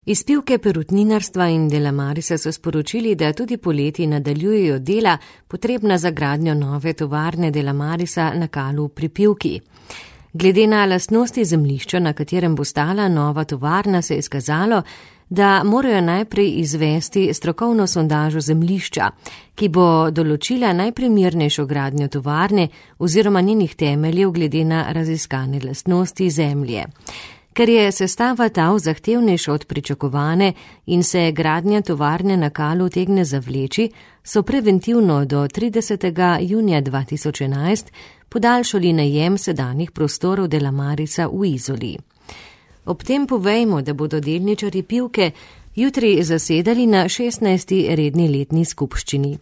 Iz Pivke perutninarstva in Delamarisa so sporočili, da tudi poleti nadaljujejo dela, potrebna za gradnjo nove tovarne Delamarisa na Kalu pri Pivki. Glede na lastnosti zemljišča, na katerem bo stala nova tovarna, se je izkazalo, da morajo najprej izvesti strokovno sondažo zemljišča, ki bo določila najprimernejšo gradnjo tovarne oziroma njenih temeljev glede na raziskane lastnosti zemlje. Ker je sestava tal zahtevnejša od pričakovane in se gradnja tovarne na Kalu utegne zavleči, so preventivno do 30. junija 2011 podaljšali najem sedanjih prostorov Delamarisa v Izoli. Ob tem povejmo, da bodo delničarji Pivke jutri zasedali na 16. redni letni skupščini.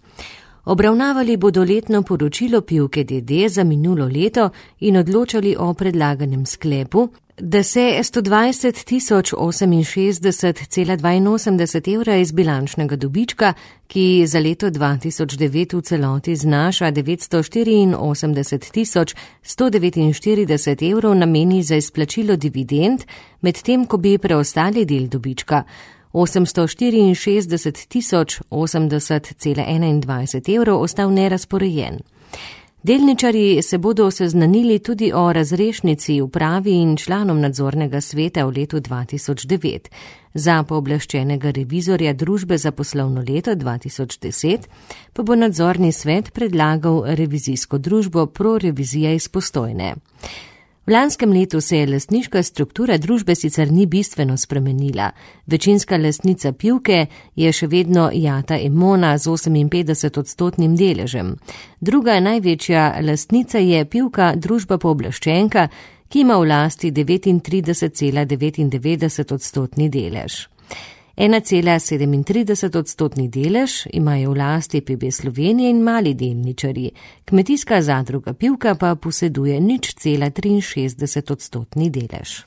Obravnavali bodo letno poročilo Pivke d.d. za minulo leto in odločali o predlaganem sklepu, da se 120.068,82 evra iz bilančnega dobička, ki za leto 2009 v celoti znaša 984.149 evrov, nameni za izplačilo dividend, medtem ko bi preostali del dobička 864.080,21 evrov ostal nerazporejen. Delničarji se bodo seznanili tudi o razrešnici upravi in članom nadzornega sveta v letu 2009. Za pooblaščenega revizorja družbe za poslovno leto 2010 pa bo nadzorni svet predlagal revizijsko družbo ProRevizija iz Postojne. V lanskem letu se je lastniška struktura družbe sicer ni bistveno spremenila. Večinska lastnica Pivke je še vedno Jata Emona z 58% deležem. Druga največja lastnica je Pivka družba pooblaščenka, ki ima v lasti 39,99% delež. 1,37% delež imajo v lasti PB Slovenije in mali delničarji. Kmetijska zadruga Pivka pa poseduje 0,63% delež.